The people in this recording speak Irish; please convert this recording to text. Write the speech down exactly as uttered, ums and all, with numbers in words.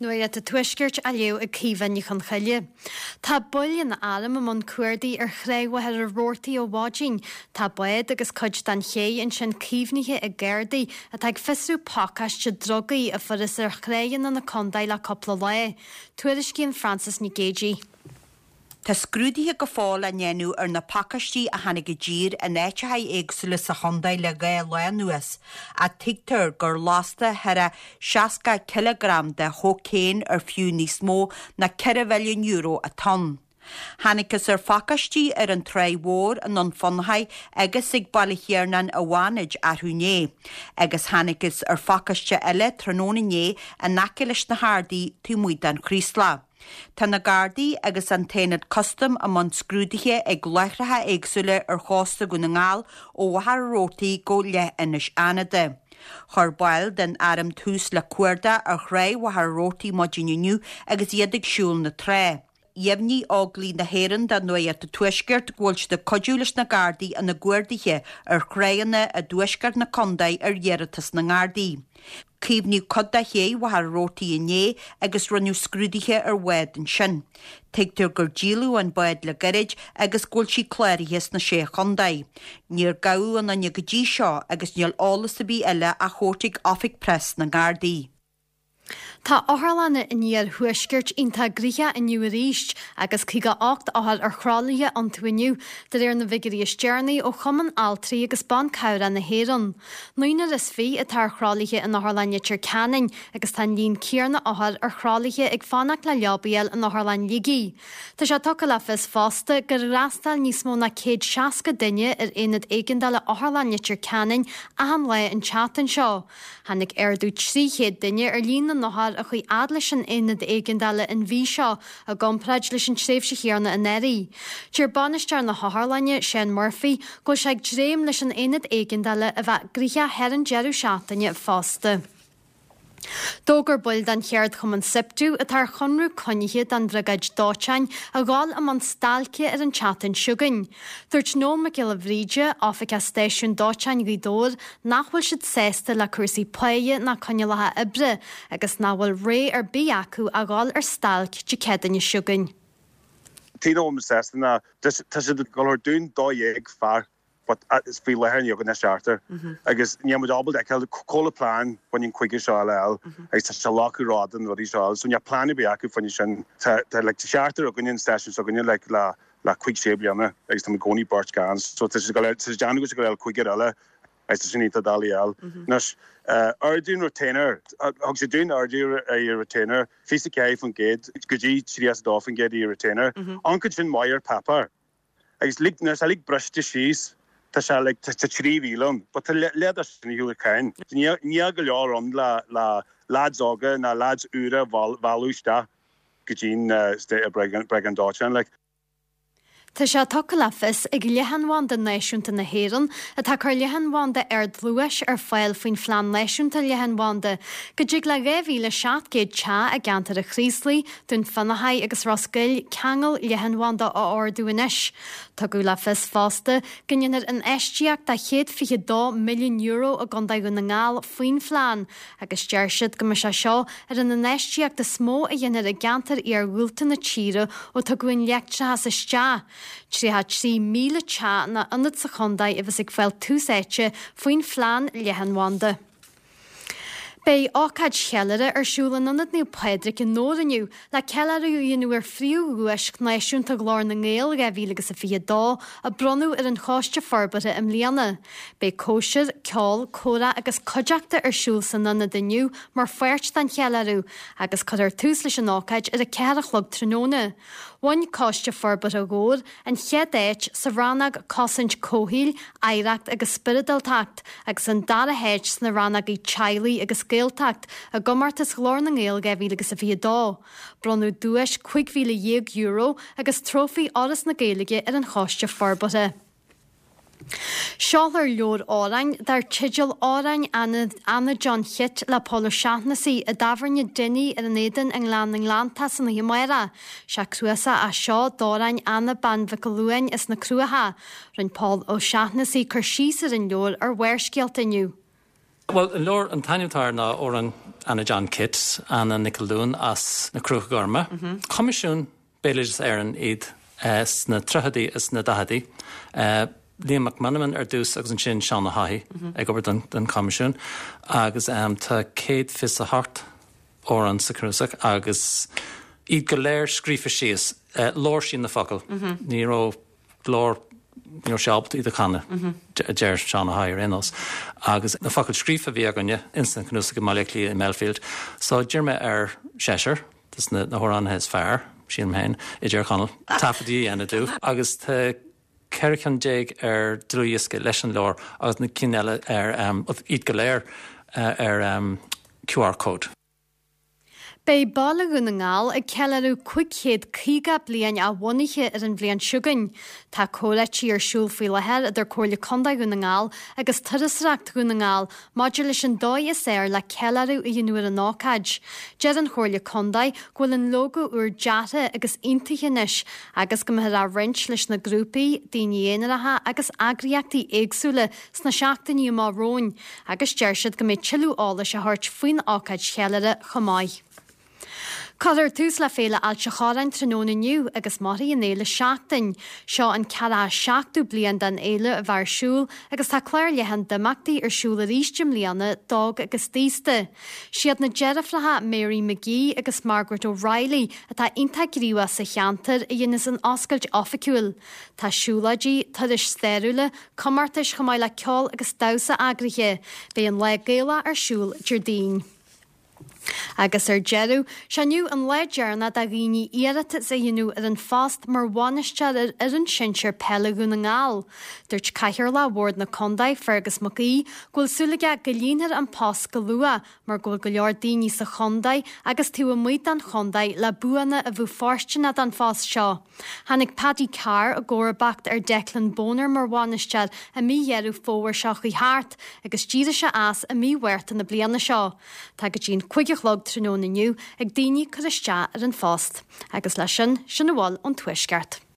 Nuacht an Tuaiscirt á léamh ag Caoimhe Ní Chonchoille. Tá baill an airm i mbun cuardaigh ar Thráigh Mhachaire Rabhartaigh ó mhaidin. Tá bád agus cuid den ché ansin caomhnaithe ag Gardaí atá ag fiosrú pacáiste drugaí a fuarthas ar thráigheanna na contae le cúpla lá. Tuairiscíonn Frances Nic Géadaigh. Tá scrúduithe go fóill á ndéanamh ar na pacáistí a tháinig i dtír in áiteacha éagsúla sa chontae le dhá lá anuas, ach tuigtear gur lasta thar seasca cileagram de chócaon ar fiú níos mó ná ceithre mhilliún euro atá ann. Thángthas ar phacáistí ar an Tráigh Mhór i nDún Fionnachaidh agus ag Baile Thiarnáin i bhFánaid arú inné, agus thángthas ar phacáiste eile tráthnóna inné in aice leis na hArdaí taobh amuigh den Chraoslach. Tá na Gardaí agus an tAonad Custaim i mbun scrúduithe ag láithreacha éagsúla ar chósta Dhún na nGall ó Mhachaire Rabhartaigh go Leithinis Fhánada. Chuir baill den arm tús le cuardach ar Thráigh Mhachaire Rabhartaigh maidin inniu agus iad ag siúl na trá. Dheimhnigh Óglaigh na hÉireann do Nuacht an Tuaiscirt go bhfuil siad ag cuidiú leis na Gardaí ina gcuarduithe ar thráigheanna i dtuaisceart na contae ar iarratas na nGardaí. Caomhnaíodh cuid de ché Mhachaire Rabhartaigh inné agus rinneadh scrúduithe ar bhád ansin. Tuigtear gur díoladh an bád le gairid agus go bhfuil sí cláraithe sna sé chontae. Níor gabhadh aon duine go dtí seo agus níl eolas ar bith eile á thabhairt ag Oifig Preas na nGardaí. Tá otharlanna an iarthuaiscirt iontach gnoitheach inniu arís agus caoga ocht othar ar thralaithe iontu inniu, de réir na bhfigiúirí is deireanaí ó Chumann Altraí agus Ban Cabhrach na hÉireann. Naonúr is fiche atá ar thralaithe in Otharlann Leitir Ceanainn agus tá an líon céanna othar ar thralaithe ag fanacht le leaba a fháil in Otharlann Shligigh. Tá sé tugtha le fios fosta gur fhreastail níos mó ná céad seasca duine ar aonad éigeandála Otharlann Leitir Ceanainn achan lá an tseachtain seo. Tháinig ardú trí chéad duine ar líon na n-othar a chuaigh fhad leis an aonad éigeandála an mhí seo i gcomparáid leis an tréimhse chéanna anuraidh. Deir bainisteoir na hotharlainne Seán Murphy go bhfuil sé ag dréim leis an aonad éigeandála a bheith gnoitheach thar an deireadh seachtaine fosta. D'fhógair baill den cheardchumann SIPTU atá ar chonradh coinnithe don bhriogáid dóiteáin a dhul i mbun stailce ar an tseachtain seo chugainn. Dúirt Noel Mac Giolla Bhríde, Oifigeach Stáisiún Dóiteáin Ghaoth Dobhair, nach bhfuil siad sásta le cúrsaí páighe ná coinníollacha oibre agus nach bhfuil rogha ar bith acu a dhul ar stailc Dé Céadaoine seo chugainn. Tí nó sásta ná tá siad ag dul ar dún dó dhéag fear but is faoi láthair níl againn ach seachtar agus níl muid ábalta feiceáil cá bhfuil plean fá choinne an cúigear seo eile agus tá sé locadh rá an rudaí seo so níl plean ar bith acu fá choinne sin tá tá like seachtar againn an stáisiún s'againne like le le cúig sé bliana agus tá i gcónaí beirt gann so tá sé go tá sé déanamh go go cúigear eile agus tá sin iontach doiligh a fháil. Anois ardú an retainer thug sé dúinn ardú ar ar retainer fiche ceathair faoin gcéad go dtí tríocha dó faoin gcéad i retainer. An cuid sin maith ar páipéar. Agus lig nuair lig briste síos tá sé like tá trí mhíle ann, but tá leath sin shiúl cain. Níl go leor ann le le lads óga ná lads úra mhealladh isteach go dtí'n briogáid dóiteáin like. Tá sé tugtha le fios ag Leathanbhanda Náisiúnta na hÉireann atá ag cur leathanbhanda ardluais ar fáil faoin Phlean Náisiúnta Leathanbhanda, go dtig le dhá mhíle seacht gcéad teach i gceantar an Chraoslaigh, Dún Fionnachaidh agus Ros Goill ceangal leathanbhanda a ordú anois. Tugadh le fios fosta go ndéanfar infheistíocht de chéad fiche dó milliún euro i gContae Dhún na nGall faoin phlean, agus deir siad go mbeidh sé seo ar an infheistíocht is mó a dhéanfar i gceantar iargúlta na tíre ó tugadh an leictreachas isteach. Tríocha trí míle teach nó ionad sa chontae a bheas ag fáil tús áite faoin phlean leathanbhanda. Beidh ócáid cheiliúrtha ar siúl in Ionad Naomh Pádraig i nDobhar inniu le ceiliúradh a dhéanamh ar phríomhdhuais náisiúnta Ghlór na nGael dhá mhíle agus a fiche dó a bronnadh ar an Choiste Forbartha i mbliana. Beidh cóisir, ceol, comhrá agus cuideachta ar siúl san ionad inniu mar pháirt den cheiliúradh agus cuirfear tús leis an ócáid ar a ceathair a chlog tráthnóna. Bhain Coiste Forbartha Dhobhair an chéad áit sa rannóg Cosaint Comhshaoil, Oidhreacht agus Spioradáltacht agus an dara háit sna rannógaí Teaghlaigh agus Gaeltacht i gcomórtas Ghlór na nGael dhá mhíle agus a fiche dó. Bronnadh duais cúig mhíle dhéag euro agus trófaí Fhoras na Gaeilge ar an Choiste Forbartha. Seolfar leabhar amhrán dar teideal Amhráin Anna John Chit le Pól Ó Seachnasaigh i dtábhairne Dinny ar an Éadan i nGleann na nGleanntach san oíche amárach. Sé cnuasach é seo d'amhráin Anna Bean Mhic Luain as na Cruacha. Rinne Pól Ó Seachnasaigh cur síos ar an leabhar ar Bharrscéalta inniu. Well, an leabhar an t-ainm atá air ná Amhráin Anna John Kit, Anna Nic Luain as na Cruacha Gorma. Coimisiún Béaloideas Éireann iad eh, sna tríochaidí is na daichidí. Eh, Liam Mac Meanman ar dtús agus ansin Seán Ó hEachaidh ag obair don, don Coimisiún agus um, tá céad fiche a hocht amhrán sa chnuasach agus iad go léir scríofa síos uh, labhair sí na focail. Ní raibh glór ní raibh sí ábalta iad a chanadh a deir Seán Ó hEachaidh ar aon nós. Agus na focail scríofa a bhí againne insan chnuasach i mBaile Átha Cliath i Melfield, so d'iarr mé ar seisear des na na hamhránaithe is fearr sílim féin i dTír Chonaill taifeadtaí a dhéanamh dóibh agus tá ceithre cheann déag ar dlúthdhiosca leis an leabhar agus na cinn eile ar um, iad go léir uh, ar um, QR code. Beidh Baile Dhún na nGall ag ceiliúradh cúig chéad caoga bliain a bhunaithe ar an bhliain seo chugainn. Tá comhráití ar siúl faoi láthair idir Comhairle Contae Dhún na nGall agus Turasóireacht Dhún na nGall maidir leis an dóigh is fearr le ceiliúradh a dhéanamh ar an ócáid. Deir an Chomhairle Contae go bhfuil an lógó úr deartha agus aontaithe anois agus go mbeifear á roinnt leis na grúpaí, daoine aonaracha agus eagraíochtaí éagsúla sna seachtainí amach romhainn, agus deir siad go mbeidh tuilleadh eolais á thabhairt faoin ócáid cheiliúrtha chomh maith. Cuirfear tús le Féile Ailt an Chorráin tráthnóna inniu agus mairfidh an fhéile seachtain. Seo an ceathracha seachtú bliain den fhéile a bheith ar siúl agus tá clár leathan d'imeachtaí ar siúl arís i mbliana d'óg agus d'aosta. Siad na deirfiúracha Mary McGee agus Margaret O'Reilly atá iontach gníomhach sa cheantar a dhéanfas an oscailt oifigiúil. Tá siúlóidí, turais stairiúla, comórtais chomh maith le ceol agus damhsa eagraithe, Beidh an lá Gaelach ar siúl Déardaoin. Agus ar deireadh, sé inniu an lá deireanach do dhaoine iarratas a dhéanamh ar an phost mar bhainisteoir ar fhoireann sinsir peile Dhún na nGall. Dúirt Cathaoirleach Bhord na Contae Fergus Mac Aoidh go bhfuil súil aige go líonfar an post go luath mar go bhfuil go leor daoine sa chontae agus taobh amuigh den chontae le buanna a bheadh fóirsteanach don phost seo. Tháinig Paddy Carr i gcomharbacht ar Declan Bonner mar bhainisteoir i mí Dheireadh Fómhair seo chuaigh thart agus d'éirigh sé as i mí Mhárta na bliana seo. Tá go dtí an cúig a chlog tráthnóna inniu ag daoine cur isteach ar an phost, agus leis sin sin a bhfuil ón tuaisceart.